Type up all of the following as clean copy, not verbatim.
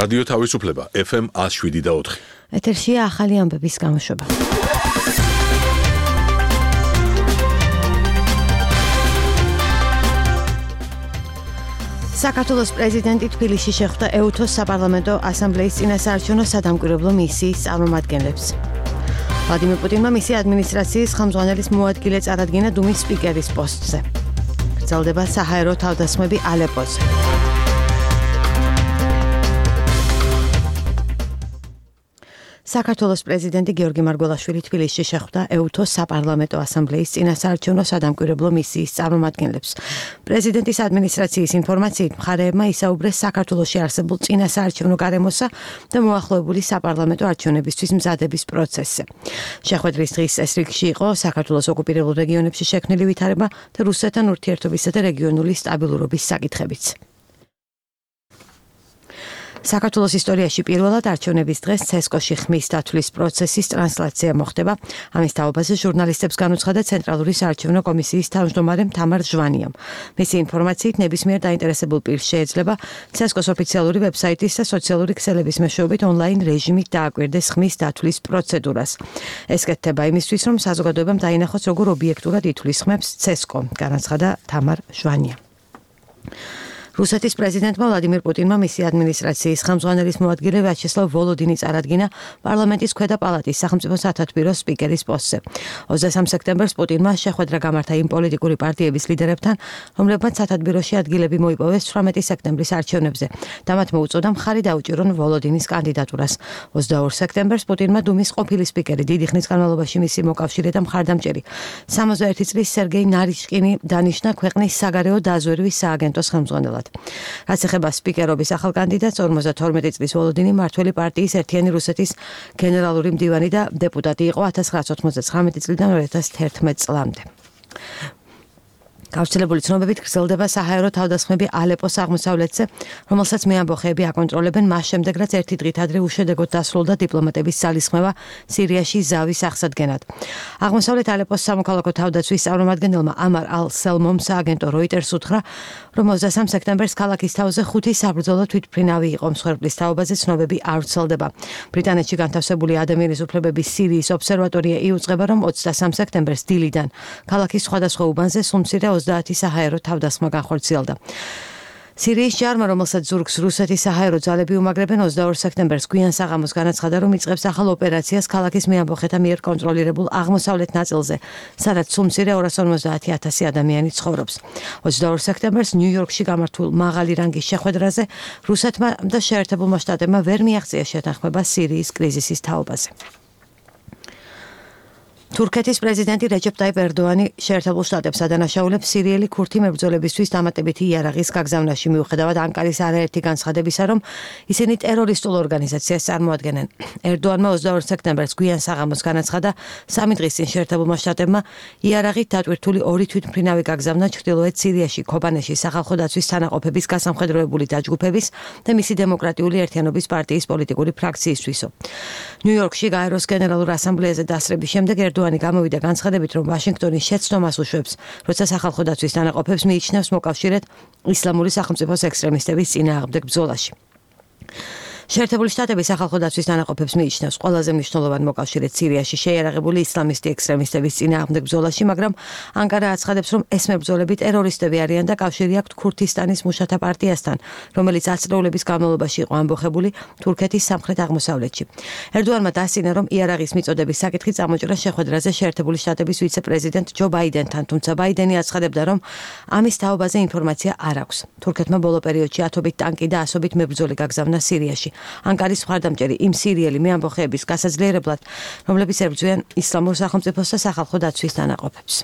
რადიო თავისუფლება FM 107.4. ეთერშია ახალი ამბების გამოშვება. საქართველოს პრეზიდენტი თბილისში შეხვდა ეუთოს საპარლამენტო ასამბლეის წინასაარჩევნო სადამკვირვებლო მისიის წარმომადგენლებს. ვლადიმერ პუტინმა მისი ადმინისტრაციის ხელმძღვანელის მოადგილე წარადგინა დუმის სპიკერის პოსტზე. გრძელდება საჰაერო თავდასხმები ალეპოზე. საქართველოს პრეზიდენტი გიორგი მარგველაშვილი თბილისში შეხვდა ეუთოს საპარლამენტო ასამბლეის წინასაარჩევნო სადამკვირვებლო მისიის წარმომადგენლებს. პრეზიდენტის ადმინისტრაციის ინფორმაციით მხარეებმა ისაუბრეს საქართველოში არსებულ წინასაარჩევნო გარემოსა და მოახლოებული საპარლამენტო არჩევნებისთვის მზადების პროცესზე. შეხვედრის დღის ეს რიგში იყო საქართველოს ოკუპირებულ რეგიონებში შექმნილი ვითარება და რუსეთთან ურთიერთობისა და რეგიონული სტაბილურობის საკითხებიც. საქართველოს ისტორიაში პირველად არჩევნების დღეს ცესკოში ხმის დათვლის პროცესის ტრანსლაცია მოხდება. ამის თაობაზე ჟურნალისტებს განუცხადა ცენტრალური საარჩევნო კომისიის თავმჯდომარე თამარ ჟვანიამ. მისი ინფორმაციით ნებისმიერ დაინტერესებულ პირს შეეძლება ცესკოს ოფიციალური ვებსაიტის და სოციალური ქსელების მეშვეობით ონლაინ რეჟიმით დააკვირდეს ხმის დათვლის პროცედურას. ეს კეთდება იმისთვის, რომ საზოგადოებამ დაინახოს, როგორ ობიექტურად ითვლის ხმებს ცესკო, განაცხადა თამარ ჟვანიამ. რუსეთის პრეზიდენტმა ვლადიმერ პუტინმა მისი ადმინისტრაციის ხელმძღვანელის მოადგილე ვიაჩესლავ ვოლოდინი წარადგინა პარლამენტის ქვედა პალატის სახელმწიფო სათათბიროს სპიკერის პოსტზე. 23 სექტემბერს პუტინმა შეხვედრა გამართა იმ პოლიტიკური პარტიების ლიდერებთან, რომლებმაც სათათბიროში ადგილები მოიპოვეს 18 სექტემბრის არჩევნებზე და მათ მოუწოდა მხარი დაუჭირონ ვოლოდინის კანდიდატურას. 22 სექტემბერს პუტინმა დუმის ყოფილი სპიკერი დიდი ხნის განმავლობაში მისი მოკავშირე და მხარდამჭერი 61 წლის სერგეი ნარიშკინი დანიშნა ქვეყნის საგარეო დაზვერვის სააგენტოს ხელმძღვანელად. რაც ეხება სპიკერობის ახალ კანდიდატს 52 წლის ვოლოდინი მართველი პარტიის ერთიანი რუსეთის გენერალური მდივანი და დეპუტატი იყო 1999 წლიდან 2011 წლამდე. გავრცელებული ცნობებით გრძელდება საჰაერო თავდასხმები ალეპოს აღმოსავლეთზე, რომელსაც მეამბოხეები აკონტროლებენ მას შემდეგ, რაც ერთი დღით ადრე უშედეგოდ დასრულდა დიპლომატების ძალისხმევა სირიაში ზავის აღსადგენად. აღმოსავლეთ ალეპოს სამოქალაქო თავდაცვის წარმომადგენელმა ამარ ალ-სელმომ სააგენტო როიტერს უთხრა, რომ 23 სექტემბერს ქალაქის თავზე 5 საბრძოლო თვითმფრინავი იყო. მსხვერპლის თაობაზე ცნობები არ ვრცელდება. ბრიტანეთში განთავსებული ადამიანის უფლებების სირიის ობსერვატორია იუწყება, რომ 23 სექტემბერს დილიდან ქალაქის სხვადასხვა უბანზე სუმცირე 30 საჰაერო თავდასხმა განხორციელდა. სირიის ჯარმა, რომელსაც ზურგს რუსეთის საჰაერო ძალები უმაგრებენ, 22 სექტემბერს გვიან საღამოს განაცხადა, რომ იწყებს ახალ ოპერაციას ქალაქის მეამბოხეთა მიერ კონტროლირებულ აღმოსავლეთ ნაწილზე, სადაც სუმცირე 250,000 ადამიანი ცხოვრობს. 22 სექტემბერს ნიუ-იორკში გამართულ მაღალი რანგის შეხვედრაზე რუსეთმა და შეერთებულმა შტატებმა ვერ მიაღწია შეთანხმება სირიის კრიზისის თაობაზე. თურქეთის პრეზიდენტი რეჯეპ ტაიპ ერდოანი შეერთებულ შტატებს ადანაშაულებს სირიელი ქურთი მებრძოლებისთვის დამატებითი იარაღის გაგზავნაში მიუხედავად ანკარის არაერთი განცხადებისა, რომ ისინი ტერორისტულ ორგანიზაციას წარმოადგენენ. ერდოანმა 22 სექტემბერს გვიან საღამოს განაცხადა, 3 დღის წინ შეერთებულმა შტატებმა იარაღით დატვირთული 2 თვითმფრინავი გაგზავნა ჩრდილოეთ სირიაში, ქობანეში სახალხო დაცვის თანაყოფების გასამხედროებული დაჯგუფების და მისი დემოკრატიული ერთიანობის პარტიის პოლიტიკური ფრაქციისთვისო. ნიუ-იორკში გაეროს გენერალურ ასამბლეაზე დასრების შემდეგ ერდოანი გამოვიდა განცხადებით, რომ ვაშინგტონი შეცდომას უშვებს, როცა სახალხო დაცვის თანაყოფებს მიიჩნევს მოკავშირედ ისლამური სახელმწიფოს ექსტრემისტების წინააღმდეგ ბრძოლაში. შეერთებული შტატები სახალხო დაცვის თანაყოფებს მიიჩნევს ყველაზე მნიშვნელოვან მოკავშირედ სირიაში შეიარაღებული ისლამისტი ექსტრემისტების წინააღმდეგ ბრძოლაში, მაგრამ ანკარა აცხადებს, რომ ეს მებრძოლები ტერორისტები არიან და კავშირი აქვთ ქურთისტანის მუშათა პარტიასთან, რომელიც ათწლეულების განმავლობაში იყო ამბოხებული თურქეთის სამხრეთ აღმოსავლეთში. ერდოანმა დასცინა, რომ იარაღის მიწოდების საკითხი წამოჭრა შეხვედრაზე შეერთებული შტატების ვიცე-პრეზიდენტ ჯო ბაიდენთან, თუმცა ბაიდენი აცხადებდა, რომ ამის თაობაზე ინფორმაცია არ აქვს. თურქეთმა ბოლო პერიოდში ათობით ტანკი და ასობით მებრძოლი გაგზავნა სირიაში. ანკარის მხარდამჭერი იმ სირიელი მეამბოხეების გასაძლიერებლად, რომლებიც ებრძვიან ისლამურ სახელმწიფოს და სახალხო დაცვის თანაყოფებს.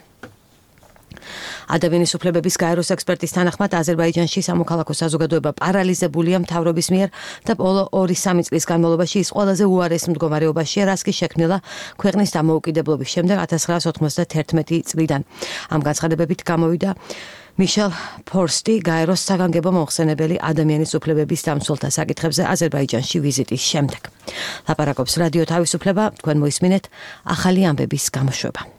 ადამიანის უფლებების გაეროს ექსპერტის თანახმად აზერბაიჯანში სამოქალაქო საზოგადოება პარალიზებულია მთავრობის მიერ და ბოლო 2-3 წლის განმავლობაში ის ყველაზე უარეს მდგომარეობაშია, რაც კი შექმნილა ქვეყნის დამოუკიდებლობის შემდეგ 1991 წლიდან. ამ განცხადებებით გამოვიდა მიშელ ფორსტი, გაეროს საგანგებო მომხსენებელი ადამიანის უფლებების დამცველთა საკითხებზე აზერბაიჯანში ვიზიტის შემდეგ. ლაპარაკობს რადიო თავისუფლება, თქვენ მოისმინეთ ახალი ამბების გამოშვება.